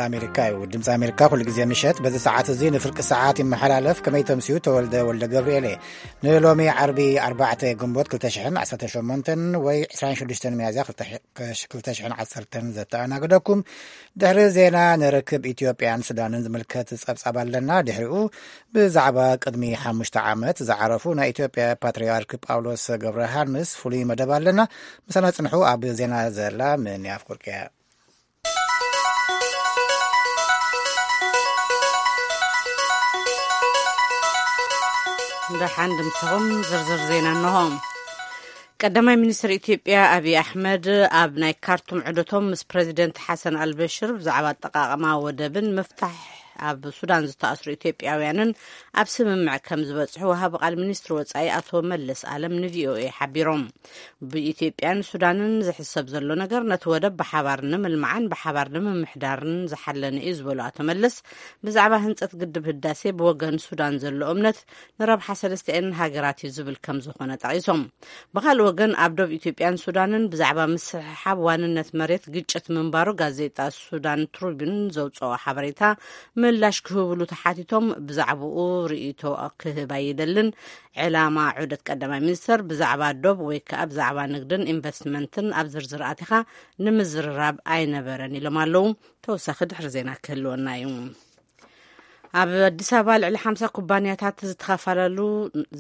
ኣሜሪካ እዩ። ድምፂ ኣሜሪካ ኩሉ ግዜ ምሸት በዚ ሰዓት እዚ ንፍርቂ ሰዓት ይመሓላለፍ። ከመይ ተምስዩ? ተወልደ ወልደ ገብርኤል እየ። ንሎሚ ዓርቢ ኣርባዕተ ግንቦት ክልተ ሽሕን ዓሰርተ ሸሞንተን ወይ ዕስራን ሽዱሽተን ሚያዝያ ክልተ ሽሕን ዓሰርተን ዘተኣናግደኩም። ድሕሪ ዜና ንርክብ ኢትዮጵያን ሱዳንን ዝምልከት ጸብጻብ ኣለና። ድሕሪኡ ብዛዕባ ቅድሚ ሓሙሽተ ዓመት ዝዓረፉ ናይ ኢትዮጵያ ፓትርያርክ ጳውሎስ ገብረ ዮሃንስ ፍሉይ መደብ ኣለና። ምሳና ጽንሑ። ኣብ ዜና ዘላ ምንያፍ ኩርቅያ። ደሓን ድምስኹም። ዝርዝር ዜና እንሆ። ቀዳማይ ሚኒስትር ኢትዮጵያ ኣብይ ኣሕመድ ኣብ ናይ ካርቱም ዑደቶም ምስ ፕረዚደንት ሓሰን ኣልበሽር ብዛዕባ ኣጠቓቕማ ወደብን ምፍታሕ ኣብ ሱዳን ዝተኣስሩ ኢትዮጵያውያንን ኣብ ስምምዕ ከም ዝበጽሑ ወሃቢ ቃል ሚኒስትሪ ወጻኢ ኣቶ መለስ ኣለም ንቪኦኤ ሓቢሮም። ብኢትዮጵያን ሱዳንን ዝሕሰብ ዘሎ ነገር ነቲ ወደብ ብሓባር ንምልማዕን ብሓባር ንምምሕዳርን ዝሓለነ እዩ ዝበሉ ኣቶ መለስ፣ ብዛዕባ ህንጸት ግድብ ህዳሴ ብወገን ሱዳን ዘሎ እምነት ንረብሓ ሰለስቲኣን ሃገራት እዩ ዝብል ከም ዝኾነ ጠቒሶም። ብኻልእ ወገን ኣብ ዶብ ኢትዮጵያን ሱዳንን ብዛዕባ ምስሕሓብ ዋንነት መሬት ግጭት ምንባሩ ጋዜጣ ሱዳን ትሪቡን ዘውፅኦ ሓበሬታ ምላሽ ክህብሉ ተሓቲቶም ብዛዕባኡ ርእይቶ ክህብ ኣይደልን። ዕላማ ዑደት ቀዳማይ ሚኒስተር ብዛዕባ ዶብ ወይ ከዓ ብዛዕባ ንግድን ኢንቨስትመንትን ኣብ ዝርዝር ኣቲኻ ንምዝርራብ ኣይነበረን ኢሎም ኣለዉ። ተወሳኺ ድሕሪ ዜና ክህልወና እዩ። ኣብ ኣዲስ ኣበባ ልዕሊ ሓምሳ ኩባንያታት ዝተኻፈላለሉ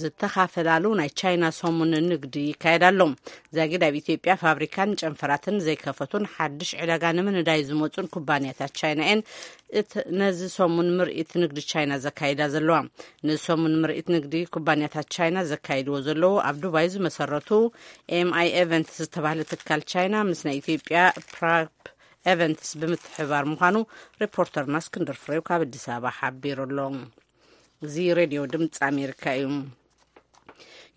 ዝተኻፈላለሉ ናይ ቻይና ሰሙን ንግዲ ይካየድ ኣሎ። ዛጊድ ኣብ ኢትዮጵያ ፋብሪካን ጨንፈራትን ዘይከፈቱን ሓድሽ ዕዳጋ ንምንዳይ ዝመፁን ኩባንያታት ቻይና እየን። እት ነዚ ሰሙን ምርኢት ንግዲ ቻይና ዘካይዳ ዘለዋ። ነዚ ሰሙን ምርኢት ንግዲ ኩባንያታት ቻይና ዘካይድዎ ዘለዉ ኣብ ዱባይ ዝመሰረቱ ኤምኣይ ኤቨንትስ ዝተባህለ ትካል ቻይና ምስ ናይ ኢትዮጵያ ፕራፕ ኤቨንትስ ብምትሕባር ምዃኑ ሪፖርተርና እስክንድር ፍሬው ካብ ኣዲስ ኣበባ ሓቢሩ ኣሎ። እዚ ሬድዮ ድምፂ ኣሜሪካ እዩ።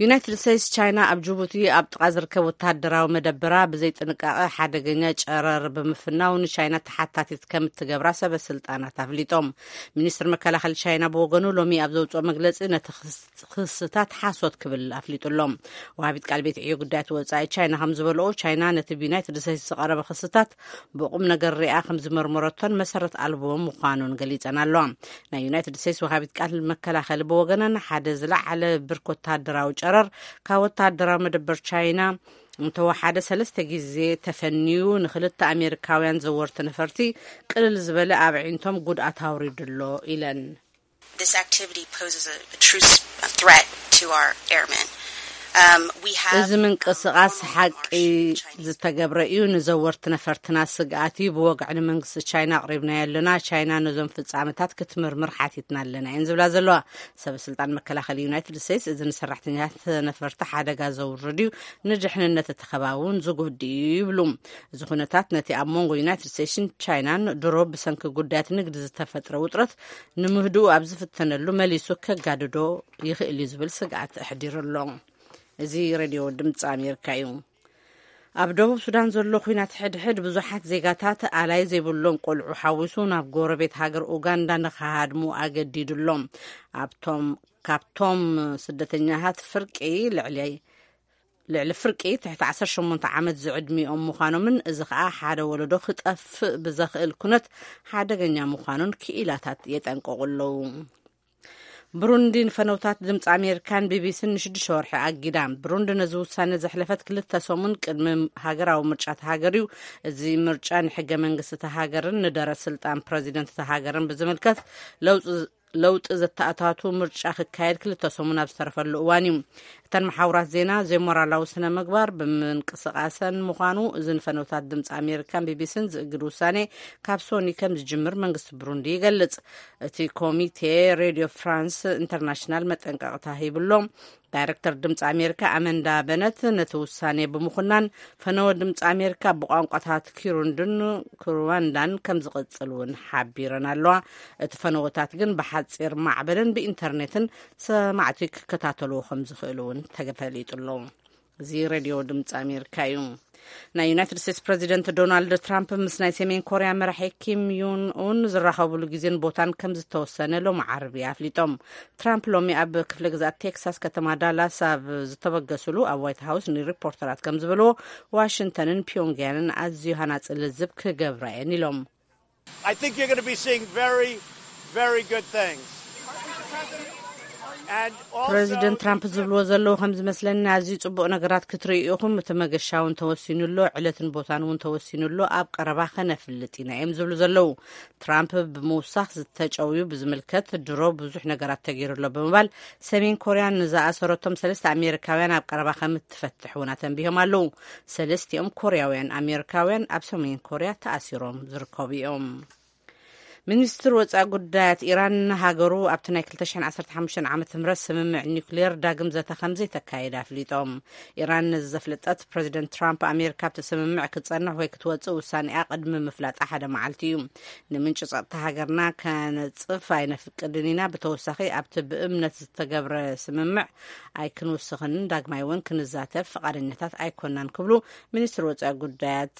ዩናይትድ ስቴትስ ቻይና ኣብ ጅቡቲ ኣብ ጥቓ ዝርከብ ወተሃደራዊ መደበራ ብዘይጥንቃቐ ሓደገኛ ጨረር ብምፍናው ንቻይና ተሓታቲት ከም እትገብራ ሰበ ስልጣናት ኣፍሊጦም። ሚኒስትር መከላኸሊ ቻይና ብወገኑ ሎሚ ኣብ ዘውፅኦ መግለፂ ነቲ ክስ- ክስታት ሓሶት ክብል ኣፍሊጡ ኣሎ። ወሃቢት ቃል ቤት ዕዮ ጉዳያት ወፃኢ ቻይና ከም ዝበልኦ ቻይና ነቲ ብዩናይትድ ስቴትስ ዝቐረበ ክስታት ብቁም ነገር ሪኣ ከም ዝመርመረቶን መሰረት ኣልቦ ምዃኑን ገሊፀን ኣለዋ። ናይ ዩናይትድ ስቴትስ ወሃቢት ቃል መከላኸሊ ብወገነን ሓደ ዝለዓለ ብርክ ወተሃደራዊ ጨረር ካብ ወተሃደራዊ መደበር ቻይና እንተወሓደ ሰለስተ ግዜ ተፈንዩ ንክልተ ኣሜሪካውያን ዘወርቲ ነፈርቲ ቅልል ዝበለ ኣብ ኣዒንቶም ጉድኣት ኣውሪዱ ኣሎ ኢለን። This activity poses a, a true s- a threat to our airmen. Um, we have እዚ ምንቅስቃስ ሓቂ ዝተገብረ እዩ። ንዘወርቲ ነፈርትና ስግኣት እዩ። ብወግዒ ንመንግስቲ ቻይና ኣቕሪብናዮ ኣለና። ቻይና ነዞም ፍጻመታት ክትምርምር ሓቲትና ኣለና እየን ዝብላ ዘለዋ። ሰበ ስልጣን መከላኸሊ ዩናይትድ ስቴትስ እዚ ንሰራሕተኛታት ነፈርቲ ሓደጋ ዘውርድ እዩ፣ ንድሕንነት እቲ ከባቢ እውን ዝጎድእ እዩ ይብሉ። እዚ ኩነታት ነቲ ኣብ መንጎ ዩናይትድ ስቴትስን ቻይናን ድሮ ብሰንኪ ጉዳያት ንግዲ ዝተፈጥረ ውጥረት ንምህድኡ ኣብ ዝፍተነሉ መሊሱ ከጋድዶ ይኽእል እዩ ዝብል ስግኣት ኣሕዲሩ ኣሎ። እዚ ሬድዮ ድምፂ ኣሜሪካ እዩ። ኣብ ደቡብ ሱዳን ዘሎ ኩናት ሕድሕድ ብዙሓት ዜጋታት ኣላይ ዘይብሎም ቆልዑ ሓዊሱ ናብ ጎረቤት ሃገር ኡጋንዳ ንኸሃድሙ ኣገዲዱ ኣሎ። ኣብቶም ካብቶም ስደተኛታት ፍርቂ ልዕሊ ልዕሊ ፍርቂ ትሕቲ ዓሰርተ ሸሞንተ ዓመት ዝዕድሚኦም ምዃኖምን እዚ ኸኣ ሓደ ወለዶ ክጠፍእ ብዘኽእል ኩነት ሓደገኛ ምዃኑን ክኢላታት የጠንቀቑ ኣለዉ። ብሩንዲ ንፈነውታት ድምፂ ኣሜሪካን ቢቢሲን ንሽዱሽተ ወርሒ ኣጊዳ። ብሩንዲ ነዚ ውሳነ ዘሕለፈት ክልተ ሰሙን ቅድሚ ሃገራዊ ምርጫ ተሃገር እዩ። እዚ ምርጫ ንሕገ መንግስቲ ተሃገርን ንደረት ስልጣን ፕረዚደንት ተሃገርን ብዝምልከት ለውጢ ለውጢ ዘተኣታቱ ምርጫ ክካየድ ክልተ ሰሙን ኣብ ዝተረፈሉ እዋን እዩ። እተን መሓውራት ዜና ዘይሞራላዊ ስነ ምግባር ብምንቅስቃሰን ምዃኑ እዚ ንፈነውታት ድምፂ ኣሜሪካን ቢቢሲን ዝእግድ ውሳኔ ካብ ሶኒ ከም ዝጅምር መንግስቲ ብሩንዲ ይገልጽ። እቲ ኮሚቴ ሬድዮ ፍራንስ ኢንተርናሽናል መጠንቀቕታ ሂብሎ። ዳይረክተር ድምፂ ኣሜሪካ ኣመንዳ በነት ነቲ ውሳኔ ብምኹናን ፈነወ ድምፂ ኣሜሪካ ብቋንቋታት ኪሩንድን ክሩዋንዳን ከም ዝቕጽል እውን ሓቢረን ኣለዋ። እቲ ፈነወታት ግን ብሓፂር ማዕበልን ብኢንተርኔትን ሰማዕቲ ክከታተልዎ ከም ዝኽእሉ እውን ተፈሊጡ ኣሎ። እዚ ሬድዮ ድምፂ ኣሜሪካ እዩ። ናይ ዩናይትድ ስቴትስ ፕረዚደንት ዶናልድ ትራምፕ ምስ ናይ ሰሜን ኮርያ መራሒ ኪም ዩን ኡን ዝራኸብሉ ግዜን ቦታን ከም ዝተወሰነ ሎሚ ዓርቢ ኣፍሊጦም። ትራምፕ ሎሚ ኣብ ክፍለ ግዛት ቴክሳስ ከተማ ዳላስ ኣብ ዝተበገስሉ ኣብ ዋይት ሃውስ ንሪፖርተራት ከም ዝበልዎ ዋሽንግተንን ፒዮንግያንን ኣዝዩ ሃናፂ ልዝብ ክገብራ እየን ኢሎም። I think you're going to be seeing very, very good things. And also, ፕረዚደንት ትራምፕ ዝብልዎ ዘለዉ ከም ዝመስለኒ፣ ኣዝዩ ጽቡቕ ነገራት ክትርእዩ ኢኹም። እቲ መገሻ እውን ተወሲኑ ኣሎ፣ ዕለትን ቦታን እውን ተወሲኑ ኣሎ። ኣብ ቀረባ ከነፍልጥ ኢና እዮም ዝብሉ ዘለዉ። ትራምፕ ብምውሳኽ ዝተጨውዩ ብዝምልከት ድሮ ብዙሕ ነገራት ተገይሩ ኣሎ ብምባል፣ ሰሜን ኮርያ ንዝኣሰረቶም ሰለስተ ኣሜሪካውያን ኣብ ቀረባ ከም እትፈትሕ እውን ኣተንቢሆም ኣለዉ። ሰለስቲኦም ኮርያውያን ኣሜሪካውያን ኣብ ሰሜን ኮርያ ተኣሲሮም ዝርከቡ እዮም። ሚኒስትር ወፃኢ ጉዳያት ኢራን፣ ሃገሩ ኣብቲ ናይ ክልተ ሽሕን ዓሰርተ ሓሙሽተን ዓመተ ምህረት ስምምዕ ኒውክሌር ዳግም ዘተ ከም ዘይተካየደ ኣፍሊጦም። ኢራን ነዚ ዘፍለጠት፣ ፕረዚደንት ትራምፕ ኣሜሪካ ኣብቲ ስምምዕ ክትጸንሕ ወይ ክትወጽእ ውሳኔኣ ቅድሚ ምፍላጣ ሓደ መዓልቲ እዩ። ንምንጪ ጸጥታ ሃገርና ከነጽፍ ኣይነፍቅድን ኢና። ብተወሳኺ፣ ኣብቲ ብእምነት ዝተገብረ ስምምዕ ኣይክንውስኽን፣ ዳግማይ እውን ክንዛተፍ ፍቓደኛታት ኣይኮናን ክብሉ ሚኒስትር ወፃኢ ጉዳያት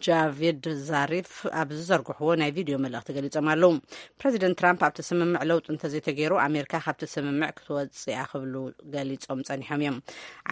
ጃቪድ ዛሪፍ ኣብ ዝዘርግሕዎ ናይ ቪድዮ መልእኽቲ ገሊጾም ኣለዉ። ፕረዚደንት ትራምፕ ኣብቲ ስምምዕ ለውጢ እንተዘይተገይሩ፣ ኣሜሪካ ካብቲ ስምምዕ ክትወጽእ እያ ክብሉ ገሊጾም ጸኒሖም እዮም።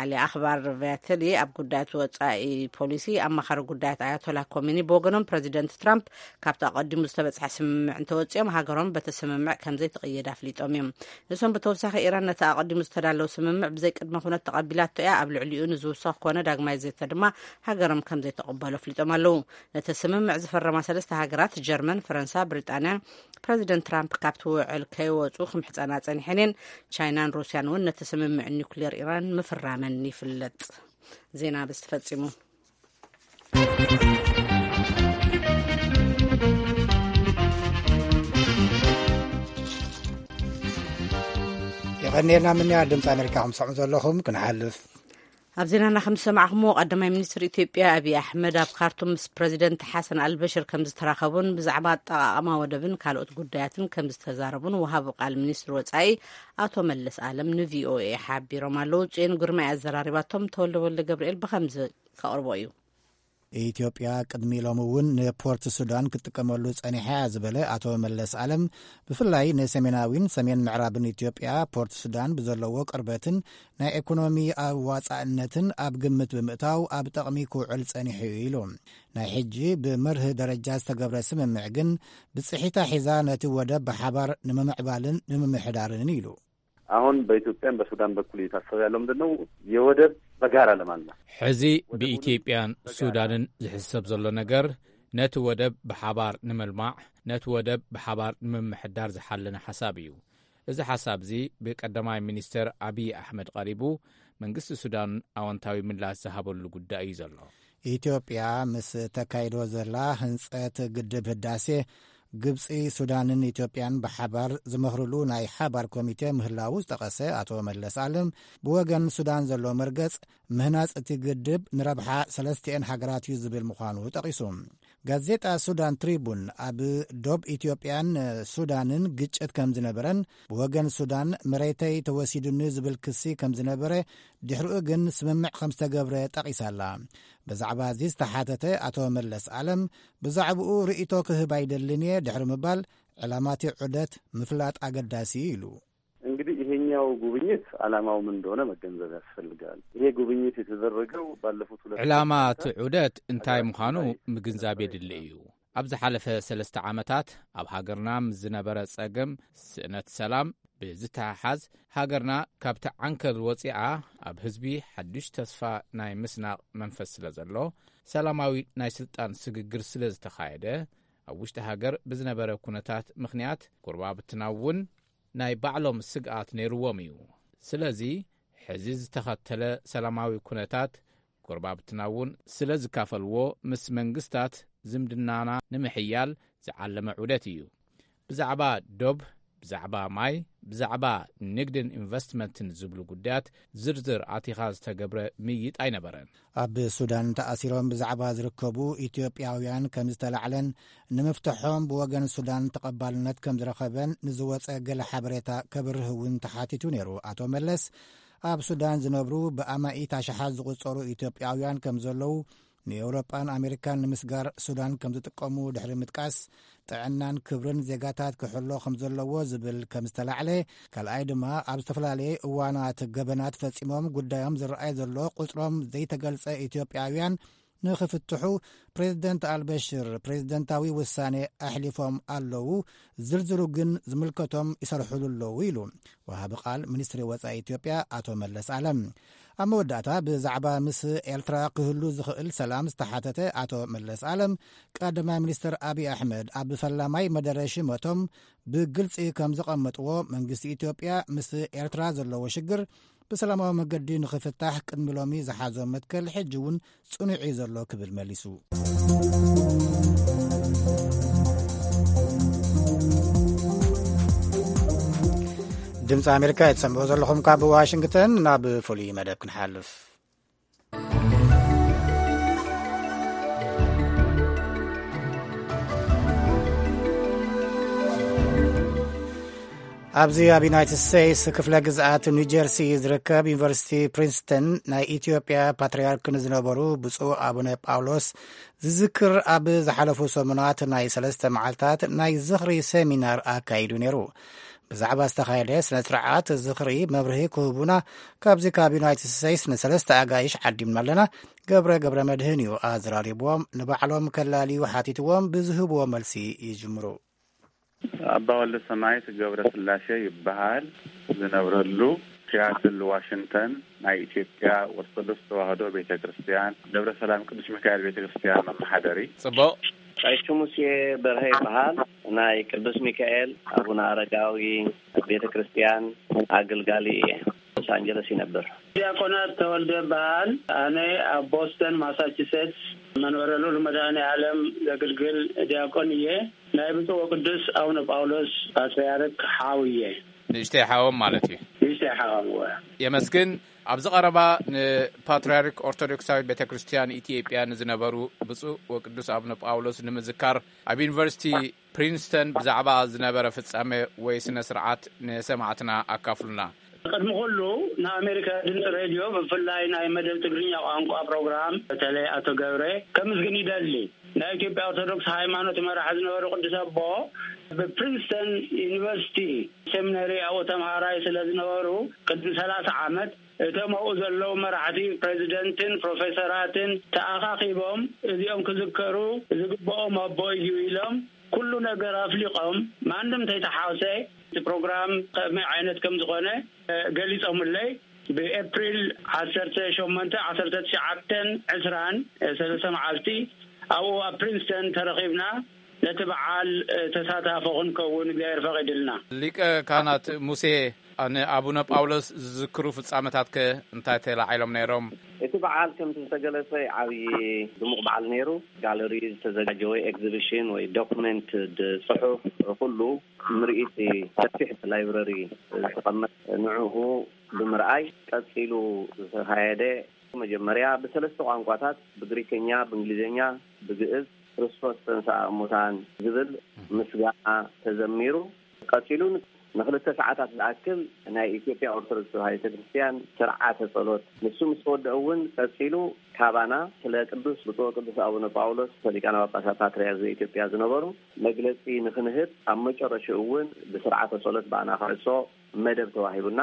ዓሊ ኣኽባር ቪያተሊ ኣብ ጉዳያት ወጻኢ ፖሊሲ ኣማኻሪ ጉዳያት ኣያቶላ ኮሚኒ ብወገኖም፣ ፕረዚደንት ትራምፕ ካብቲ ኣቐዲሙ ዝተበጽሐ ስምምዕ እንተወጺኦም፣ ሃገሮም በቲ ስምምዕ ከም ዘይትቕየድ ኣፍሊጦም እዮም። ንሶም ብተወሳኺ፣ ኢራን ነቲ ኣቐዲሙ ዝተዳለወ ስምምዕ ብዘይ ቅድመ ኩነት ተቐቢላቶ እያ፣ ኣብ ልዕሊኡ ንዝውሰኽ ኮነ ዳግማይ ዘተ ድማ ሃገሮም ከም ዘይተቐበሎ ኣፍሊጦም ኣለዉ። ነቲ ስምምዕ ዝፈረማ ሰለስተ ሃገራት፣ ጀርመን፣ ፈረንሳ፣ ብሪጣንያ፣ ፕረዚደንት ትራምፕ ካብቲ ውዕል ከይወጹ ክምሕጸና ጸኒሐን እየን። ቻይናን ሩስያን እውን ነቲ ስምምዕ ኒውክሌር ኢራን ምፍራመን ይፍለጥ። ዜና በዚ ተፈጺሙ። የቐንየልና ምንያ ድምፂ ኣሜሪካ ከም ትሰምዑ ዘለኹም። ክንሓልፍ ኣብ ዜናና ከም ዝሰማዕኹምዎ፣ ቀዳማይ ሚኒስትር ኢትዮጵያ ኣብይ ኣሕመድ ኣብ ካርቱም ምስ ፕረዚደንት ሓሰን ኣልበሽር ከም ዝተራኸቡን ብዛዕባ ኣጠቓቕማ ወደብን ካልኦት ጉዳያትን ከም ዝተዛረቡን ወሃቢ ቃል ሚኒስትር ወጻኢ ኣቶ መለስ ኣለም ንቪኦኤ ሓቢሮም ኣለዉ። ጽዮን ግርማይ ኣዘራሪባቶም። ተወልደ ወልደ ገብርኤል ብኸምዚ ከቕርቦ እዩ። ኢትዮጵያ ቅድሚ ሎሚ እውን ንፖርት ሱዳን ክትጥቀመሉ ጸኒሓ እያ ዝበለ ኣቶ መለስ ኣለም፣ ብፍላይ ንሰሜናዊን ሰሜን ምዕራብን ኢትዮጵያ ፖርት ሱዳን ብዘለዎ ቅርበትን ናይ ኢኮኖሚ ኣዋጻእነትን ኣብ ግምት ብምእታው ኣብ ጥቕሚ ክውዕል ጸኒሑ እዩ ኢሉ። ናይ ሕጂ ብመርህ ደረጃ ዝተገብረ ስምምዕ ግን ብጽሒታ ሒዛ ነቲ ወደብ ብሓባር ንምምዕባልን ንምምሕዳርን ኢሉ። አሁን በኢትዮጵያም በሱዳን በኩል እየታሰበ ያለው ምንድን ነው? የወደብ በጋራ ለማልማት። ሕዚ ብኢትዮጵያን ሱዳንን ዝሕሰብ ዘሎ ነገር፣ ነቲ ወደብ ብሓባር ንምልማዕ፣ ነቲ ወደብ ብሓባር ንምምሕዳር ዝሓለነ ሓሳብ እዩ። እዚ ሓሳብ እዚ ብቀዳማይ ሚኒስተር ኣብይ ኣሕመድ ቀሪቡ፣ መንግስቲ ሱዳን ኣወንታዊ ምላሽ ዝሃበሉ ጉዳይ እዩ ዘሎ። ኢትዮጵያ ምስ ተካይዶ ዘላ ህንጸት ግድብ ህዳሴ፣ ግብጺ፣ ሱዳንን ኢትዮጵያን ብሓባር ዝመኽርሉ ናይ ሓባር ኮሚቴ ምህላዉ ዝጠቐሰ ኣቶ መለስ ኣለም፣ ብወገን ሱዳን ዘሎ መርገጽ ምህናጽ እቲ ግድብ ንረብሓ ሰለስቲኤን ሃገራት እዩ ዝብል ምዃኑ ጠቒሱ። ጋዜጣ ሱዳን ትሪቡን፣ ኣብ ዶብ ኢትዮጵያን ሱዳንን ግጭት ከም ዝነበረን፣ ብወገን ሱዳን መሬተይ ተወሲዱኒ ዝብል ክሲ ከም ዝነበረ፣ ድሕሪኡ ግን ስምምዕ ከም ዝተገብረ ጠቒሳላ። ብዛዕባ እዚ ዝተሓተተ ኣቶ መለስ ኣለም፣ ብዛዕባኡ ርእይቶ ክህብ ኣይደልን እየ ድሕሪ ምባል፣ ዕላማቲ ዑደት ምፍላጥ ኣገዳሲ እዩ ኢሉ። እንግዲህ ይሄኛው ጉብኝት ዓላማው ምን እንደሆነ መገንዘብ ያስፈልጋል። ይሄ ጉብኝት የተደረገው ባለፉት ሁለት ዕላማ ዓመታት እቲ ዑደት እንታይ ምዃኑ ምግንዛብ የድሊ እዩ። ኣብ ዝሓለፈ ሰለስተ ዓመታት ኣብ ሃገርና ምስ ዝነበረ ጸገም፣ ስእነት ሰላም ብዝተሓሓዝ፣ ሃገርና ካብቲ ዓንከል ወጺኣ ኣብ ህዝቢ ሓድሽ ተስፋ ናይ ምስናቕ መንፈስ ስለ ዘሎ፣ ሰላማዊ ናይ ስልጣን ስግግር ስለ ዝተኻየደ፣ ኣብ ውሽጢ ሃገር ብዝነበረ ኩነታት ምኽንያት፣ ጎረባብትና እውን ናይ ባዕሎም ስግኣት ነይርዎም እዩ። ስለዚ፣ ሕዚ ዝተኸተለ ሰላማዊ ኩነታት፣ ጎረባብትና እውን ስለ ዝካፈልዎ፣ ምስ መንግስታት ዝምድናና ንምሕያል ዝዓለመ ዑደት እዩ። ብዛዕባ ዶብ፣ ብዛዕባ ማይ፣ ብዛዕባ ንግድን ኢንቨስትመንትን ዝብሉ ጉዳያት ዝርዝር ኣቲኻ ዝተገብረ ምይይጥ ኣይነበረን። ኣብ ሱዳን ተኣሲሮም ብዛዕባ ዝርከቡ ኢትዮጵያውያን ከም ዝተላዕለን፣ ንምፍትሖም ብወገን ሱዳን ተቐባልነት ከም ዝረኸበን ንዝወጸ ገለ ሓበሬታ ከብርህ እውን ተሓቲቱ ነይሩ ኣቶ መለስ። ኣብ ሱዳን ዝነብሩ ብኣማኢት ኣሽሓት ዝቑጸሩ ኢትዮጵያውያን ከም ዘለዉ፣ ንኤውሮጳን ኣሜሪካን ንምስጋር ሱዳን ከም ዝጥቀሙ ድሕሪ ምጥቃስ፣ ጥዕናን ክብርን ዜጋታት ክሕሎ ከም ዘለዎ ዝብል ከም ዝተላዕለ፣ ካልኣይ ድማ ኣብ ዝተፈላለየ እዋናት ገበናት ፈጺሞም ጉዳዮም ዝረኣይ ዘሎ ቁጽሮም ዘይተገልጸ ኢትዮጵያውያን ንኽፍትሑ ፕሬዝደንት ኣልበሽር ፕሬዝደንታዊ ውሳኔ ኣሕሊፎም ኣለዉ። ዝርዝሩ ግን ዝምልከቶም ይሰርሕሉ ኣለዉ ኢሉ ወሃቢ ቃል ሚኒስትሪ ወጻኢ ኢትዮጵያ ኣቶ መለስ ኣለም። ኣብ መወዳእታ ብዛዕባ ምስ ኤርትራ ክህሉ ዝኽእል ሰላም ዝተሓተተ ኣቶ መለስ ኣለም፣ ቀዳማይ ሚኒስትር ኣብይ ኣሕመድ ኣብ ፈላማይ መደረ ሽመቶም ብግልጺ ከም ዘቐመጥዎ፣ መንግስቲ ኢትዮጵያ ምስ ኤርትራ ዘለዎ ሽግር ብሰላማዊ መገዲ ንኽፍታሕ ቅድሚ ሎሚ ዝሓዞ መትከል ሕጂ እውን ጽኑዕ እዩ ዘሎ ክብል መሊሱ። ድምፂ ኣሜሪካ እትሰምዑ ዘለኹም ካብ ዋሽንግተን። ናብ ፍሉይ መደብ ክንሓልፍ። ኣብዚ ኣብ ዩናይትድ ስቴትስ ክፍለ ግዝኣት ኒው ጀርሲ ዝርከብ ዩኒቨርሲቲ ፕሪንስተን ናይ ኢትዮጵያ ፓትርያርክ ንዝነበሩ ብፁዕ ኣቡነ ጳውሎስ ዝዝክር ኣብ ዝሓለፉ ሰሙናት ናይ ሰለስተ መዓልታት ናይ ዝኽሪ ሰሚናር ኣካይዱ ነይሩ። ብዛዕባ ዝተኻየደ ስነ ስርዓት ዝኽሪ መብርሂ ክህቡና ካብዚ ካብ ዩናይትድ ስቴትስ ንሰለስተ ኣጋይሽ ዓዲምና ኣለና። ገብረ ገብረ መድህን እዩ ኣዘራሪብዎም። ንባዕሎም ከላልዩ ሓቲትዎም ብዝህብዎ መልሲ ይጅምሩ። ኣባ ወልደ ሰማያት ገብረ ስላሴ ይበሃል። ዝነብረሉ ሲያትል ዋሽንግተን ናይ ኢትዮጵያ ኦርቶዶክስ ተዋህዶ ቤተ ክርስቲያን ደብረ ሰላም ቅዱስ ሚካኤል ቤተ ክርስቲያን መመሓደሪ። ጽቡቕ። ቀሺ ሙሴ በርሀ ይበሃል። ናይ ቅዱስ ሚካኤል ኣቡነ ኣረጋዊ ቤተ ክርስቲያን ኣገልጋሊ እየ። ሎስ ኣንጀለስ ይነብር። ዲያቆናት ተወልደ በሃል። ኣነ ኣብ ቦስተን ማሳቹሴትስ መንበረ ልዑል መድኃኔ ዓለም ዘግልግል ዲያቆን እየ። ናይ ብፁዕ ወቅዱስ ኣቡነ ጳውሎስ ፓትርያርክ ሓው እየ። ንእሽተይ ሓዎም ማለት እዩ። ንእሽተይ ሓዎም እወ። የመስግን። ኣብዚ ቀረባ ንፓትርያርክ ኦርቶዶክሳዊት ቤተ ክርስቲያን ኢትዮጵያ ንዝነበሩ ብፁዕ ወቅዱስ ኣቡነ ጳውሎስ ንምዝካር ኣብ ዩኒቨርሲቲ ፕሪንስተን ብዛዕባ ዝነበረ ፍጻሜ ወይ ስነ ስርዓት ንሰማዕትና ኣካፍሉና። ቅድሚ ኩሉ ንኣሜሪካ ድምፂ ሬድዮ ብፍላይ ናይ መደብ ትግርኛ ቋንቋ ፕሮግራም በተለይ ኣቶ ገብረ ከምስግን ይደሊ። ናይ ኢትዮጵያ ኦርቶዶክስ ሃይማኖት መራሒ ዝነበሩ ቅዱስ ኣቦ ብፕሪንስተን ዩኒቨርሲቲ ሴሚናሪ ኣብኡ ተምሃራይ ስለ ዝነበሩ ቅድሚ ሰላሳ ዓመት እቶም ኣብኡ ዘለዉ መራሕቲ ፕሬዚደንትን ፕሮፌሰራትን ተኣኻኺቦም እዚኦም ክዝከሩ ዝግብኦም ኣቦ እዩ ኢሎም ኩሉ ነገር ኣፍሊቖም ማንም ተይተሓወሰ እቲ ፕሮግራም ከመይ ዓይነት ከም ዝኾነ ገሊጾምለይ። ብኤፕሪል ዓሰርተ ሸሞንተ ዓሰርተ ትሽዓተን ዕስራን ሰለስተ መዓልቲ ኣብኡ ኣብ ፕሪንስተን ተረኺብና ነቲ በዓል ተሳታፎ ክንከውን እግዚኣብሔር ፈቒድልና። ሊቀ ካህናት ሙሴ፣ ንኣቡነ ጳውሎስ ዝዝክሩ ፍጻመታትከ እንታይ ተላዒሎም ነይሮም? እቲ በዓል ከምቲ ዝተገለጸ ዓብዪ ድሙቕ በዓል ነይሩ። ጋለሪ ዝተዘጋጀወ ኤግዚቢሽን ወይ ዶኩመንት ጽሑፍ ኩሉ ምርኢት ሰፊሕ ላይብረሪ ዝተቐመጠ ንዕኡ ብምርኣይ ቀጺሉ ዝተኻየደ መጀመርያ ብሰለስተ ቋንቋታት ብግሪከኛ፣ ብእንግሊዝኛ፣ ብግእዝ ክርስቶስ ተንሥአ እሙታን ዝብል ምስጋና ተዘሚሩ። ቀጺሉ ንክልተ ሰዓታት ዝኣክል ናይ ኢትዮጵያ ኦርቶዶክስ ተዋህዶ ቤተክርስትያን ስርዓተ ጸሎት ንሱ ምስ ተወደአ እውን ቀጺሉ ካባና ስለ ቅዱስ ብፁዕ ቅዱስ ኣቡነ ጳውሎስ ሊቃነ ጳጳሳት ፓትርያርክ ዘኢትዮጵያ ዝነበሩ መግለጺ ንክንህብ ኣብ መጨረሽኡ እውን ብስርዓተ ጸሎት ብኣና ክዕጾ መደብ ተዋሂቡና።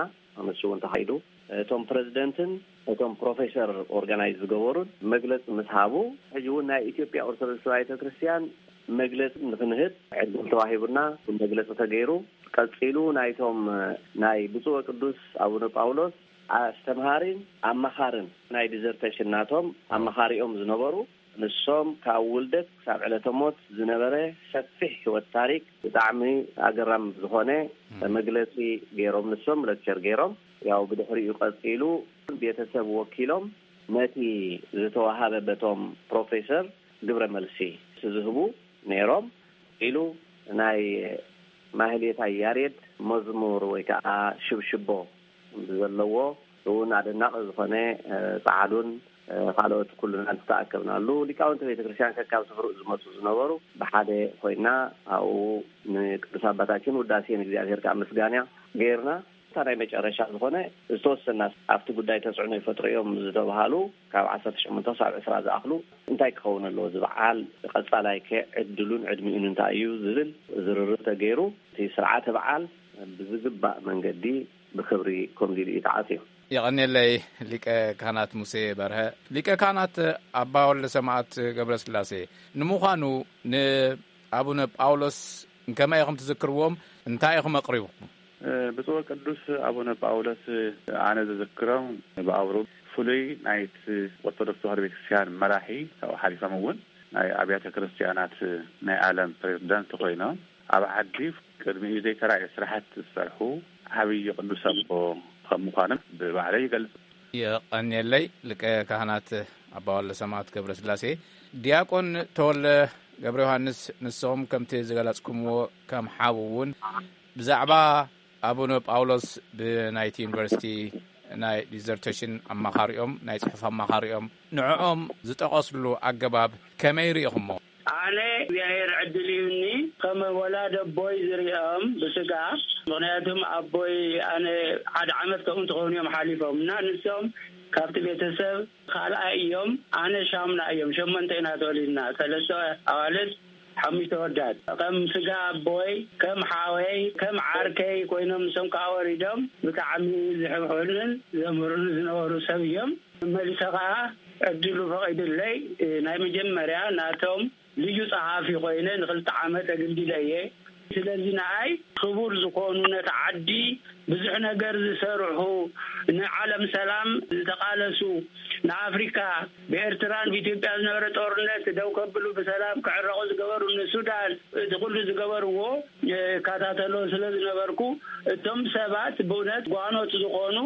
ንሱ እውን ተኻይዱ። እቶም ፕረዚደንትን እቶም ፕሮፌሰር ኦርጋናይዝ ዝገበሩን መግለፂ ምስ ሃቡ ሕጂ እውን ናይ ኢትዮጵያ ኦርቶዶክስ ተዋህዶ ቤተክርስትያን መግለፂ ንክንህብ ዕድል ተዋሂቡና መግለፂ ተገይሩ። ቀፂሉ ናይቶም ናይ ብፁዕ ቅዱስ ኣቡነ ጳውሎስ ኣስተምሃሪን ኣማኻርን ናይ ዲዘርቴሽን ናቶም ኣማኻሪኦም ዝነበሩ ንሶም ካብ ውልደት ክሳብ ዕለተ ሞት ዝነበረ ሰፊሕ ህይወት ታሪክ ብጣዕሚ ኣገራም ዝኾነ መግለፂ ገይሮም ንሶም ሌክቸር ገይሮም ያው ብድሕሪኡ ቀፂሉ ቤተሰብ ወኪሎም ነቲ ዝተዋሃበ በቶም ፕሮፌሰር ግብረ መልሲ ዝህቡ ነይሮም ኢሉ ናይ ማህሌታይ ያሬድ መዝሙር ወይ ከዓ ሽብሽቦ ዘለዎ እውን ኣደናቂ ዝኾነ ፃዓዱን ካልኦት ኩሉና ዝተኣከብናሉ ሊቃውንቲ ቤተክርስትያን ከካብ ስፍርኡ ዝመፁ ዝነበሩ ብሓደ ኮይና ኣብኡ ንቅዱስ ኣባታችን ውዳሴ ንእግዚኣብሔር ከዓ ምስጋና ገይርና እታ ናይ መጨረሻ ዝኾነ ዝተወሰና ኣብቲ ጉዳይ ተፅዕኖ ይፈጥሩ እዮም ዝተባሃሉ ካብ ዓሰርተ ሸሞንተ ክሳብ ዕስራ ዝኣኽሉ እንታይ ክኸውን ኣለዎ ዝበዓል ቀፃላይ ከ ዕድሉን ዕድሚኡን እንታይ እዩ ዝብል ዝርርብ ተገይሩ እቲ ስርዓተ በዓል ብዝግባእ መንገዲ ብክብሪ ከምዚ ኢሉ እዩ ተዓጽዩ። የቐንየለይ ሊቀ ካህናት ሙሴ በርሀ። ሊቀ ካህናት ኣባ ወልደ ሰማዕት ገብረስላሴ፣ ንምዃኑ ንኣቡነ ጳውሎስ ከመይ ኢኹም ትዝክርዎም? እንታይ ኢኹም ኣቕሪብኩም? ብፁዕ ቅዱስ ኣቡነ ጳውሎስ ኣነ ዝዝክሮም ብኣውሩ ፍሉይ ናይቲ ኦርቶዶክስ ተዋህዶ ቤተክርስትያን መራሒ ካብኡ ሓሊፎም እውን ናይ ኣብያተ ክርስትያናት ናይ ዓለም ፕሬዝዳንት ኮይኖም ኣብ ዓዲ ቅድሚኡ ዘይተራእየ ስራሕቲ ዝሰርሑ ዓብዪ ቅዱስ ኣቦ ከም ምዃኖም ብባዕለይ ይገልጽ። የቐንየለይ ሊቀ ካህናት ኣባ ወልደ ሰማዕት ገብረስላሴ። ዲያቆን ተወልደ ገብረ ዮሃንስ፣ ንስኹም ከምቲ ዝገለጽኩምዎ ከም ሓው እውን ብዛዕባ ኣቡነ ጳውሎስ ብናይቲ ዩኒቨርሲቲ ናይ ዲዘርቴሽን ኣማኻሪኦም፣ ናይ ጽሑፍ ኣማኻሪኦም፣ ንዕኦም ዝጠቐስሉ ኣገባብ ከመይ ርኢኹሞ? ኣነ እግዚኣብሔር ዕድል ይሁኒ ከም ወላድ ኣቦይ ዝሪኦም ብስጋ። ምኽንያቱም ኣቦይ ኣነ ሓደ ዓመት ከምኡ እንትኸውን እዮም ሓሊፎም እና ንሶም ካብቲ ቤተሰብ ካልኣይ እዮም። ኣነ ሻምና እዮም። ሸሞንተ ኢና ተወሊድና፣ ሰለስተ ኣዋልድ፣ ሓሙሽተ ወዳት። ከም ስጋ ኣቦይ፣ ከም ሓወይ፣ ከም ዓርከይ ኮይኖም ንሶም ከዓ ወሪዶም ብጣዕሚ ዝሕብሑልን ዘምህሩን ዝነበሩ ሰብ እዮም። መሊሰ ከዓ ዕድሉ ፈቒዱለይ ናይ መጀመርያ ናቶም ልዩ ጸሓፊ ኮይነ ንክልተ ዓመት ኣገልጊለ እየ። ስለዚ ንኣይ ክቡር ዝኾኑ ነቲ ዓዲ ብዙሕ ነገር ዝሰርሑ፣ ንዓለም ሰላም ዝተቓለሱ፣ ንኣፍሪካ ብኤርትራን ብኢትዮጵያ ዝነበረ ጦርነት ደው ከብሉ ብሰላም ክዕረቑ ዝገበሩ፣ ንሱዳን እቲ ኩሉ ዝገበርዎ እከታተሎ ስለ ዝነበርኩ እቶም ሰባት ብእውነት ጓኖት ዝኾኑ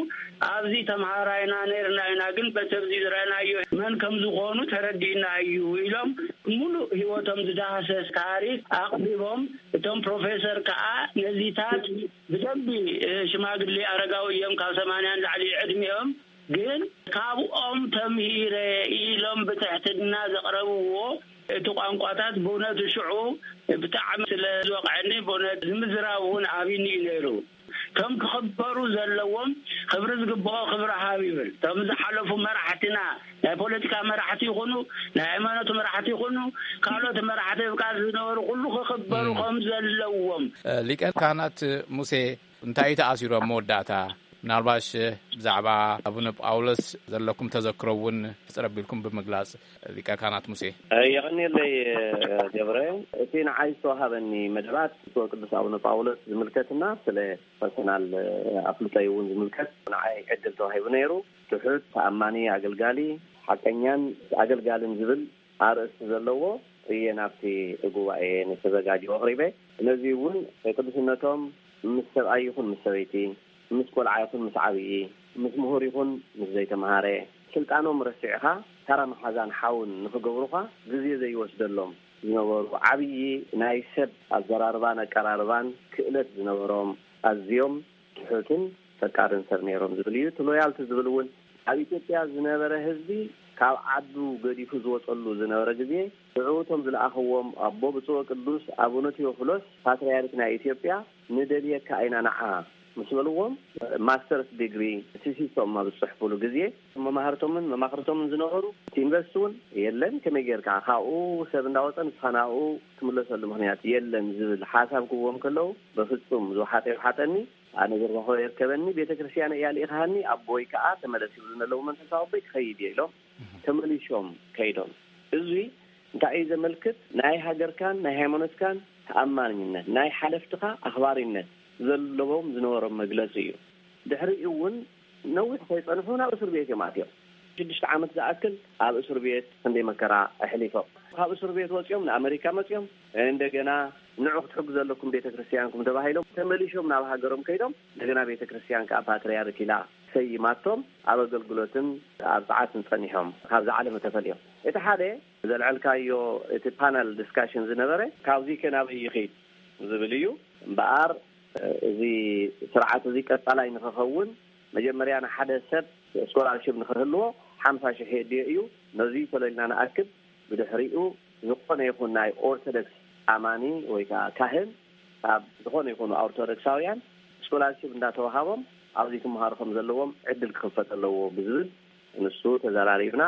ኣብዚ ተምሃራይና ነርና ኢና ግን በተብዚ ዝረእናዮ መን ከም ዝኾኑ ተረዲእና እዩ ኢሎም ሙሉእ ህይወቶም ዝዳህሰስ ታሪክ ኣቕሪቦም። እቶም ፕሮፌሰር ከዓ ነዚታት ብደንቢ ሽማግሌ ኣረጋዊ እዮም ካብ ሰማንያ ንላዕሊ ዕድሚኦም ግን ካብኦም ተምሂረ ኢሎም ብትሕትና ዘቕረብዎ እቲ ቋንቋታት ብእውነቱ ሽዑ ብጣዕሚ ስለ ዝወቕዐኒ ብእውነት ንምዝራብ እውን ኣብኒ እዩ ነይሩ። ከም ክኽበሩ ዘለዎም ክብሪ ዝግብኦ ክብሪ ሃብ ይብል። እቶም ዝሓለፉ መራሕትና ናይ ፖለቲካ መራሕቲ ይኹኑ ናይ ሃይማኖት መራሕቲ ይኹኑ ካልኦት መራሕቲ ብቃል ዝነበሩ ኩሉ ክኽበሩ ከም ዘለዎም። ሊቀ ካህናት ሙሴ እንታይ እዩ ተኣሲሩ ኣብ መወዳእታ? ምናልባሽ ብዛዕባ ኣቡነ ጳውሎስ ዘለኩም ተዘክሮ እውን ሕጽር ኣቢልኩም ብምግላጽ ሊቀ ካህናት ሙሴ። የቐንየለይ ገብረ። እቲ ንዓይ ዝተዋሃበኒ መደባት ብፁዕ ቅዱስ ኣቡነ ጳውሎስ ዝምልከትና ስለ ፐርሰናል ኣፍልጦይ እውን ዝምልከት ንዓይ ዕድል ተዋሂቡ ነይሩ። ትሑት ተኣማኒ ኣገልጋሊ ሓቀኛን ኣገልጋልን ዝብል ኣርእስቲ ዘለዎ እየ ናብቲ ጉባኤ ንተዘጋጀው ኣቕሪበ። ነዚ እውን ቅዱስነቶም ምስ ሰብኣይ ይኹን ምስ ሰበይቲ፣ ምስ ቆልዓ ይኹን ምስ ዓብዪ፣ ምስ ምሁር ይኹን ምስ ዘይተምሃረ፣ ስልጣኖም ረሲዕኻ ታራ መሓዛን ሓውን ንኽገብሩኻ ግዜ ዘይወስደሎም ዝነበሩ ዓብዪ ናይ ሰብ ኣዘራርባን ኣቀራርባን ክእለት ዝነበሮም ኣዝዮም ትሑትን ፈቃርን ሰብ ነይሮም ዝብል እዩ። እቲ ሎያልቲ ዝብል እውን ኣብ ኢትዮጵያ ዝነበረ ህዝቢ ካብ ዓዱ ገዲፉ ዝወፀሉ ዝነበረ ግዜ ሽዑ እቶም ዝለኣኽዎም ኣቦ ብፁዕ ቅዱስ ኣቡነ ቴዎፍሎስ ፓትርያርክ ናይ ኢትዮጵያ ንደልየካ ኢና ንዓ ምስ በልዎም ማስተርስ ዲግሪ ቲሲሶም ኣብ ዝፅሕፉሉ ግዜ መማህርቶምን መማኽርቶምን ዝነበሩ እቲ ዩኒቨርሲቲ እውን የለን። ከመይ ጌርካ ካብኡ ሰብ እንዳወፀ ንስኻ ናብኡ ትምለሰሉ ምኽንያት የለን ዝብል ሓሳብ ክህቦም ከለዉ በፍፁም ዝወሓጠ ይውሓጠኒ ኣነ ዝረኸቦ የርከበኒ። ቤተ ክርስቲያን እያ ልኢኻሃኒ ኣቦይ ከዓ ተመለስ ይብሉ ዘለዉ መንፈሳዊ ኣቦይ ክኸይድ እየ ኢሎም ተመሊሶም ከይዶም። እዚ እንታይ እዩ ዘመልክት? ናይ ሃገርካን ናይ ሃይማኖትካን ተኣማንነት፣ ናይ ሓለፍትኻ ኣኽባሪነት ዘለዎም ዝነበሮም መግለፂ እዩ። ድሕሪኡ እውን ነዊሕ ከይፀንሑ ናብ እስር ቤት እዮም ኣትዮም። ሽዱሽተ ዓመት ዝኣክል ኣብ እስር ቤት ክንደይ መከራ ኣሕሊፎም። ካብ እስር ቤት ወፂኦም ንኣመሪካ መፂኦም እንደገና ንዑ ክትሕግዙ ኣለኩም ቤተ ክርስቲያንኩም ተባሂሎም ተመሊሾም ናብ ሃገሮም ከይዶም እንደገና ቤተ ክርስቲያን ከዓ ፓትርያርክ ኢላ ሰይማቶም ኣብ ኣገልግሎትን ኣብ ጸዓትን ጸኒሖም ካብዚ ዓለም ተፈልዮም። እቲ ሓደ ዘልዐልካዮ እቲ ፓነል ዲስካሽን ዝነበረ ካብዚ ከ ናበይ ይኸይድ ዝብል እዩ። እምበኣር እዚ ስርዓት እዚ ቀጻላይ ንኽኸውን መጀመርያ ንሓደ ሰብ ስኮላርሽፕ ንኽህልዎ ሓምሳ ሽሕ የድልዮ እዩ። ነዚ ተለልና ንኣክል ብድሕሪኡ ዝኾነ ይኹን ናይ ኦርቶዶክስ ኣማኒ ወይ ከዓ ካህን ካብ ዝኾነ ይኹኑ ኦርቶዶክሳውያን ስኮላርሽፕ እንዳተዋሃቦም ኣብዚ ክመሃሩ ከም ዘለዎም ዕድል ክኽፈት ኣለዎ ብዝብል ንሱ ተዘራሪብና።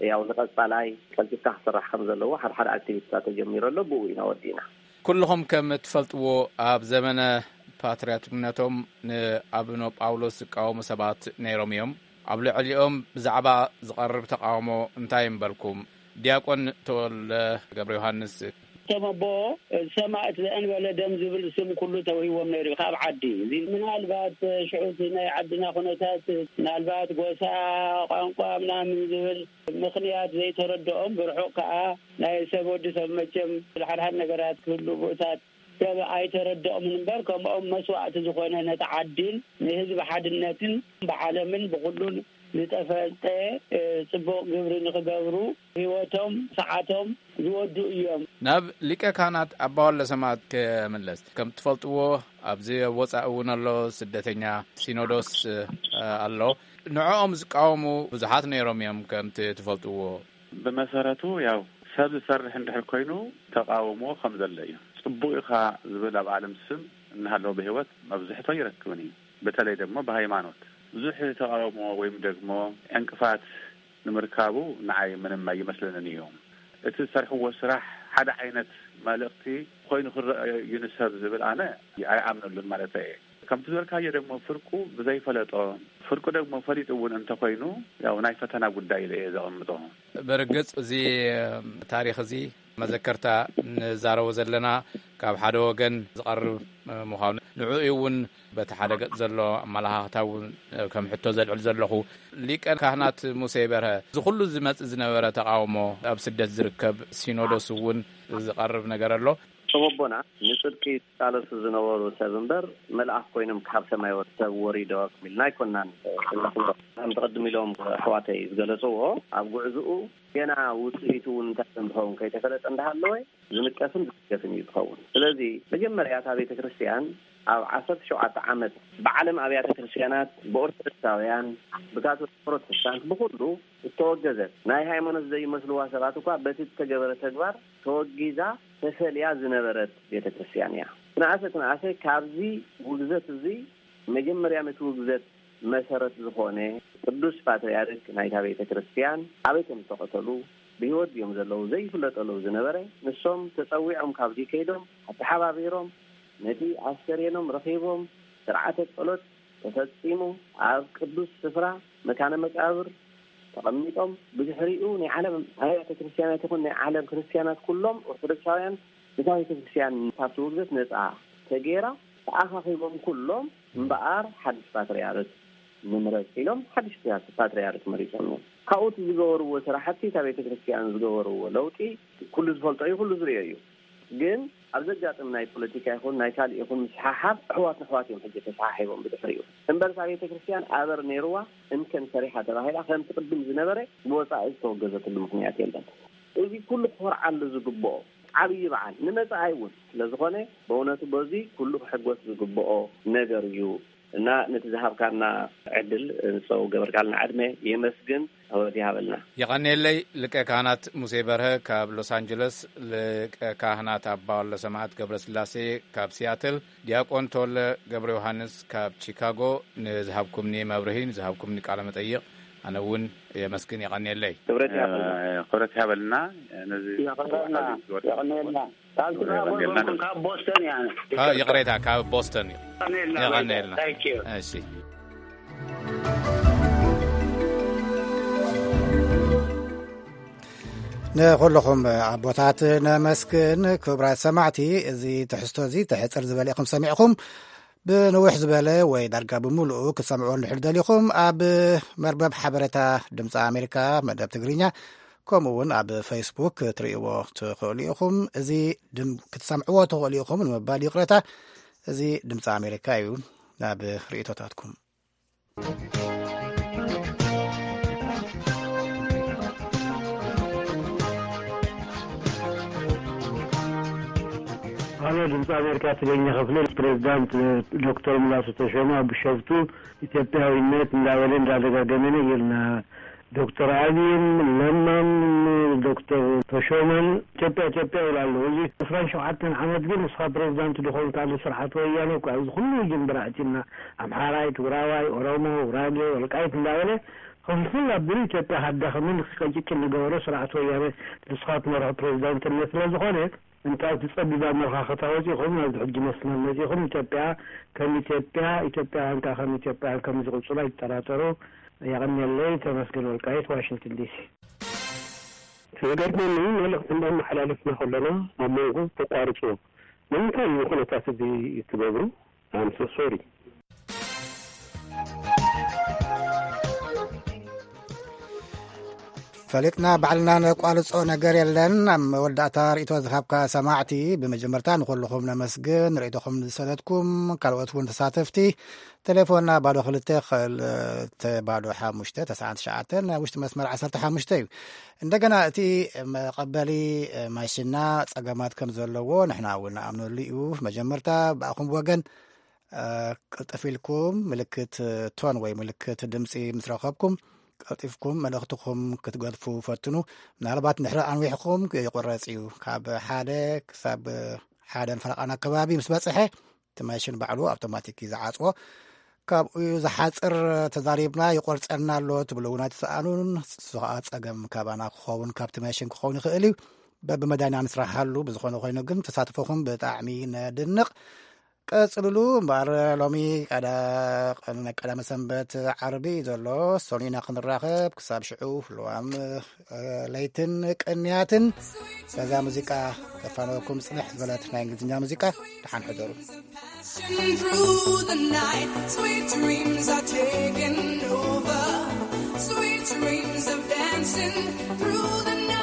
ያው ንቐጻላይ ቀልጢፍካ ክስራሕ ከም ዘለዎ ሓደ ሓደ ኣክቲቪቲታት ተጀሚሩ ኣሎ። ብኡ ኢና ወዲእና። ኩልኹም ከም ትፈልጥዎ ኣብ ዘመነ ፓትርያርክነቶም ንኣቡነ ጳውሎስ ዝቃወሙ ሰባት ነይሮም እዮም። ኣብ ልዕሊኦም ብዛዕባ ዝቐርብ ተቓውሞ እንታይ እምበልኩም? ዲያቆን ተወልደ ገብረ ዮሃንስ። እቶም ኣቦ ሰማእት ዘእንበለ ደም ዝብል ስም ኩሉ ተውሂዎም ነይሩ እዩ ካብ ዓዲ። እዚ ምናልባት ሽዑ እቲ ናይ ዓድና ኩነታት፣ ምናልባት ጎሳ፣ ቋንቋ ምናምን ዝብል ምኽንያት ዘይተረድኦም፣ ብርሑቕ ከኣ ናይ ሰብ ወዲ ሰብ መቸም ሓድሓድ ነገራት ክህሉ ብኡታት ሰብ ኣይተረድኦምን እምበር፣ ከምኦም መስዋእቲ ዝኾነ ነቲ ዓዲን ንህዝቢ ሓድነትን ብዓለምን ብኹሉን ዝተፈልጠ፣ እ፣ ጽቡቕ ግብሪ ንኽገብሩ ህይወቶም ሰዓቶም ዝወዱ እዮም። ናብ ሊቀ ካህናት ኣባ ወልደ ሰማያት ክምለስ። ከም ትፈልጥዎ፣ ኣብዚ ኣብ ወጻኢ እውን ኣሎ፣ ስደተኛ ሲኖዶስ፣ እ፣ ኣሎ። ንዕኦም ዝቃወሙ ብዙሓት ነይሮም እዮም፣ ከምቲ ትፈልጥዎ። ብመሰረቱ፣ ያው፣ ሰብ ዝሰርሕ እንድሕር ኮይኑ ተቃውሞ ከም ዘሎ እዩ። ጽቡቅ ኢኻ ዝብል ኣብ ዓለም ስም እናሃለወ ብህይወት መብዝሕቶ ይረክብን እዩ። በተለይ ደግሞ ብሃይማኖት ብዙሕ ተቃውሞ ወይም ደግሞ ዕንቅፋት ንምርካቡ ንዓይ ምንም ኣይመስለንን እዩ። እቲ ዝሰርሕዎ ስራሕ ሓደ ዓይነት መልእኽቲ ኮይኑ ክረአ እዩ ንሰብ ዝብል ኣነ ኣይኣምነሉን ማለት እየ። ከምቲ ዝበልካዮ ደግሞ ፍርቁ ብዘይፈለጦ፣ ፍርቁ ደግሞ ፈሊጡ እውን እንተኾይኑ፣ ያው ናይ ፈተና ጉዳይ ኢለ እየ ዘቐምጦ። ብርግጽ እዚ ታሪኽ እዚ መዘከርታ ንዛረቦ ዘለና ካብ ሓደ ወገን ዝቐርብ ምዃኑ፣ ንዕኡ እውን በቲ ሓደ ገጽ ዘሎ ኣመለኻኽታ እውን ከም ሕቶ ዘልዕል ዘለኹ፣ ሊቀ ካህናት ሙሴ በርሀ፣ እዚ ኩሉ ዝመጽእ ዝነበረ ተቓውሞ፣ ኣብ ስደት ዝርከብ ሲኖዶስ እውን ዝቐርብ ነገር ኣሎ። ሰበቦና ንጽድቂ ዝቃለሱ ዝነበሩ ሰብ እምበር፣ መልኣኽ ኮይኖም ካብ ሰማይ ወ-፣ ሰብ ወሪዶ ኢልና ኣይኮናን እንብሎ። ከምቲ ቅድም ኢሎም ኣሕዋተይ ዝገለጽዎ፣ ኣብ ጉዕዝኡ ገና ውጽኢቱ እውን እንታይ ከም ዝኸውን ከይተፈለጠ እንዳሃለወ፣ ዝንቀፍን ዝስከፍን እዩ ዝኸውን። ስለዚ መጀመርያ እታ ቤተ ክርስቲያን ኣብ ዓሰርተ ሸውዓተ ዓመት ብዓለም ኣብያተ ክርስቲያናት፣ ብኦርቶዶክሳውያን፣ ብካቶሊክ ፕሮቴስታንት፣ ብኹሉ እተወገዘት፣ ናይ ሃይማኖት ዘይመስልዋ ሰባት እኳ በቲ እተገበረ ተግባር ተወጊዛ ተፈልያ ዝነበረት ቤተ ክርስቲያን እያ። ትንኣሰ ትንኣሰ ካብዚ ውግዘት እዚ መጀመርያ ነቲ ውግዘት መሰረት ዝኾነ ቅዱስ ፓትርያርክ ናይታ ቤተ ክርስቲያን ኣበይ ከም ዝተቐተሉ፣ ብህይወት ድዮም ዘለዉ ዘይፍለጠሉ ዝነበረ፣ ንሶም ተጸዊዖም ካብዚ ከይዶም ኣተሓባቢሮም ነቲ ኣስከሬኖም ረኺቦም ስርዓተ ጸሎት ተፈጺሙ ኣብ ቅዱስ ስፍራ መካነ መቃብር ተቐሚጦም፣ ብድሕሪኡ ናይ ዓለም ኣብያተ ክርስቲያናት ይኹን ናይ ዓለም ክርስቲያናት ኩሎም ኦርቶዶክሳውያን ነታ ቤተ ክርስቲያን ካብቲ ውግዘት ነጻ ተገይራ ተኣኻኺቦም ኩሎም እምበኣር ሓድሽ ፓትርያርክ ንምረጽ ኢሎም ሓድሽ ፓትርያርክ መሪጾም እዮም። ካብኡ እቲ ዝገበርዎ ስራሕቲ እታ ቤተ ክርስቲያን ዝገበርዎ ለውጢ ኩሉ ዝፈልጦ እዩ፣ ኩሉ ዝርእዮ እዩ። ግን ኣብ ዘጋጥም ናይ ፖለቲካ ይኹን ናይ ካልእ ይኹን ምስሓሓብ ኣሕዋት ንኣሕዋት እዮም ሕጂ ተሰሓሒቦም ብድሕሪኡ። እምበርሳ ቤተ ክርስቲያን ኣበር ነይርዋ እንከን ሰሪሓ ተባሂላ ከምቲ ቅድም ዝነበረ ብወጻኢ ዝተወገዘትሉ ምኽንያት የለን። እዚ ኩሉ ክኾርዓሉ ዝግብኦ ዓብዪ በዓል ንመጻኢ እውን ስለ ዝኾነ ብእውነቱ በዚ ኩሉ ክሕጎስ ዝግብኦ ነገር እዩ። እና ነቲ ዝሃብካና ዕድል ንሰው ገበርካልና ዕድመ የመስግን። ወዲ ሃበልና። የቐንየለይ። ሊቀ ካህናት ሙሴ በርሀ ካብ ሎስ ኣንጀለስ፣ ሊቀ ካህናት ኣባ ወልደ ሰማዕት ገብረ ስላሴ ካብ ሲያትል፣ ዲያቆን ተወለ ገብረ ዮሃንስ ካብ ቺካጎ፣ ንዝሃብኩምኒ መብርሂ፣ ንዝሃብኩምኒ ቃለ መጠይቕ ኣነ እውን የመስግን። የቐንየለይ። ክብረት ይሃበልና። ክብረት ይሃበልና። ነዚ የቐንየልና። ካብ ቺካጎ የቐንየልና። ይኹን ካብ ቦስተን እያ። ካብ፣ ይቕሬታ፣ ካብ ቦስተን እዩ። የቐንየልና። የቐንየልና። Thank you። እሺ። ንኹልኹም ኣቦታት ነመስግን። ክቡራት ሰማዕቲ፣ እዚ ትሕዝቶ እዚ ተሕጽር ዝበለ ኢኹም ሰሚዕኹም። ብንውሕ ዝበለ ወይ ዳርጋ ብምሉኡ ክትሰምዕዎ እንድሕር ደሊኹም፣ ኣብ መርበብ ሓበሬታ ድምፂ ኣሜሪካ መደብ ትግርኛ፣ ከምኡ እውን ኣብ ፌስቡክ ክትርእይዎ ትኽእሉ ኢኹም። እዚ ድም-፣ ክትሰምዕዎ ትኽእሉ ኢኹም ንምባል ይቕረታ። እዚ ድምፂ ኣሜሪካ እዩ። ናብ ርእይቶታትኩም። ሃሎ፣ ድምፂ ኣሜሪካ ትግርኛ ክፍሊ፣ ፕሬዚዳንት ዶክተር ሙላቱ ተሾመ ኣብ ቢሾፍቱ ኢትዮጵያዊነት እንዳበለ እንዳደጋገመ ነጊርና። ዶክተር ኣብይን ለማን ዶክተር ተሾመን ኢትዮጵያ ኢትዮጵያ ይብሉ ኣለዉ። እዚ ዕስራን ሸውዓተን ዓመት ግን ንስኻ ፕሬዚዳንት ድኾንካሉ ስርዓት ወያነ እኮ ኣብዚ ኩሉ ውጅንብር ኣእትዩና። ኣምሓራይ፣ ትግራዋይ፣ ኦሮሞ፣ ጉራጌ፣ ወልቃይት እንዳበለ ክፍልፍል ኣቢሉ ኢትዮጵያ ከዳኽምን ክቀጭጭን ዝገበረ ስርዓት ወያነ ንስኻ ትመርሖ ፕሬዚዳንትነት ስለ ዝኾነ እንታይ ትጸቢባ መርኻኸታ ወጺኹም ናብዚ ሕጂ መስመር መጺኹም? ኢትዮጵያ ከም ኢትዮጵያ፣ ኢትዮጵያውያን ከኣ ከም ኢትዮጵያውያን ከም ዝቕጽሉ ኣይትጠራጠሩ። የቐንየለይ። ተመስገን ወልቃይት፣ ዋሽንግተን ዲሲ። እቲ ዝገርመኒ፣ መልእኽቲ እንዳመሓላለፍና ከለና ኣብ መንጎ ተቋርጽዎ። ንምንታይ እዩ ኩነታት እዚ ትገብሩ? I'm so sorry. ፈሊጥና ባዕልና ነቋርጾ ነገር የለን። ኣብ መወዳእታ ርእይቶ ዝሃብካ ሰማዕቲ፣ ብመጀመርታ ንኹልኹም ነመስግን። ርእይቶኹም ዝሰደድኩም ካልኦት እውን ተሳተፍቲ፣ ቴሌፎንና ባዶ ክልተ ክልተ ባዶ ሓሙሽተ ተስዓን ትሽዓተን፣ ኣብ ውሽጢ መስመር ዓሰርተ ሓሙሽተ እዩ። እንደገና እቲ መቐበሊ ማሽና ጸገማት ከም ዘለዎ ንሕና እውን ንኣምነሉ እዩ። መጀመርታ ብኣኹም ወገን ቅልጥፍ ኢልኩም ምልክት ቶን ወይ ምልክት ድምፂ ምስ ረኸብኩም፣ ቀልጢፍኩም መልእኽትኹም ክትገድፉ ፈትኑ። ምናልባት እንድሕር ኣንዊሕኩም ይቑረፅ እዩ። ካብ ሓደ ክሳብ ሓደን ፈረቓን ኣከባቢ ምስ በፅሐ፣ እቲ ማሽን ባዕሉ ኣውቶማቲክ እዩ ዝዓፅዎ። ካብኡ ዝሓፅር ተዛሪብና ይቆርፀልና ኣሎ ትብሉ እውን ኣይትሰኣኑን። እሱ ከዓ ፀገም ካባና ክኸውን፣ ካብቲ ማሽን ክኸውን ይኽእል እዩ። በብመዳይና ንስራሓሉ። ብዝኾነ ኮይኑ ግን ተሳትፎኹም ብጣዕሚ ነድንቕ። ቀጽልሉ እምበኣር፣ ሎሚ ቀዳ-፣ ቀዳመ ሰንበት ዓርቢ እዩ ዘሎ። ሰኑይ ኢና ክንራኸብ። ክሳብ ሽዑ፣ ልዋም ለይትን ቅንያትን በዛ ሙዚቃ ከፋነወኩም ጽንሕ ዝበለት ናይ እንግሊዝኛ ሙዚቃ። ደሓን ሕደሩ። Passion through the night, sweet dreams are taking over. Sweet dreams of dancing through the night.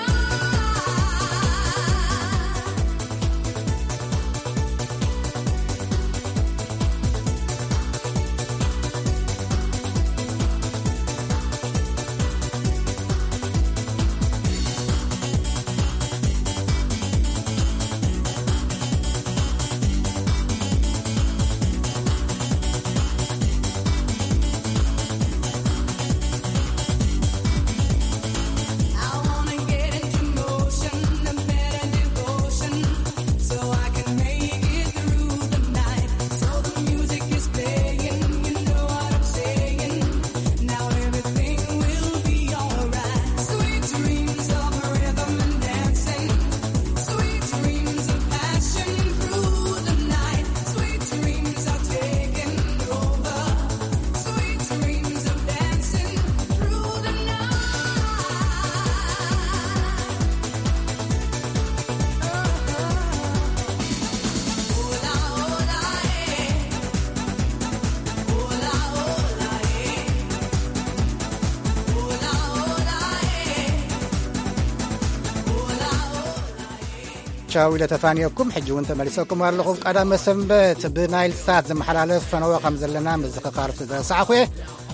ቻው ኢለ ተፋንየኩም። ሕጂ እውን ተመሊሰኩም ኣለኹ። ቀዳመ ሰንበት ብናይል ሳት ዝመሓላለፍ ፈነወ ከም ዘለና ምዝኽኻር ስለ ዘረሳዕኹ እየ።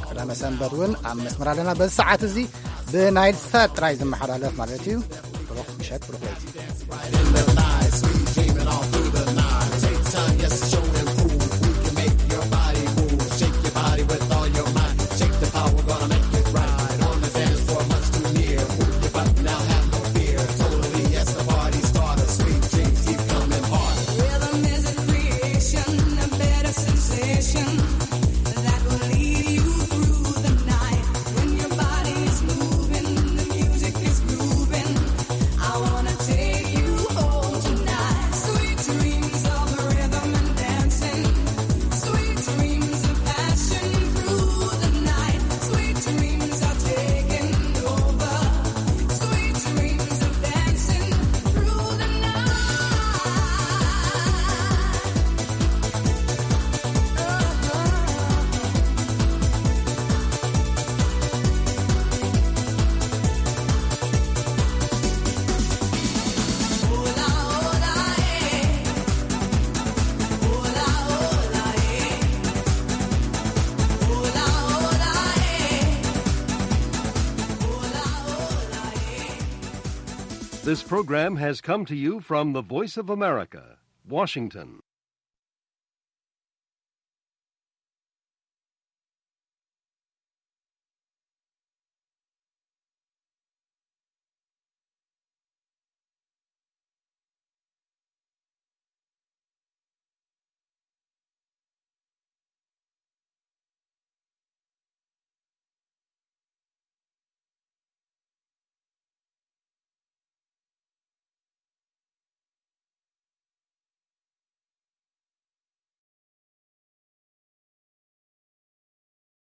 ቀዳመ ሰንበት እውን ኣብ መስመር ኣለና። በዚ ሰዓት እዚ ብናይል ሳት ጥራይ ዝመሓላለፍ ማለት እዩ። ብሩኽ ምሸት፣ ብሩኽ ለይቲ። This program has come to you from the Voice of America, Washington.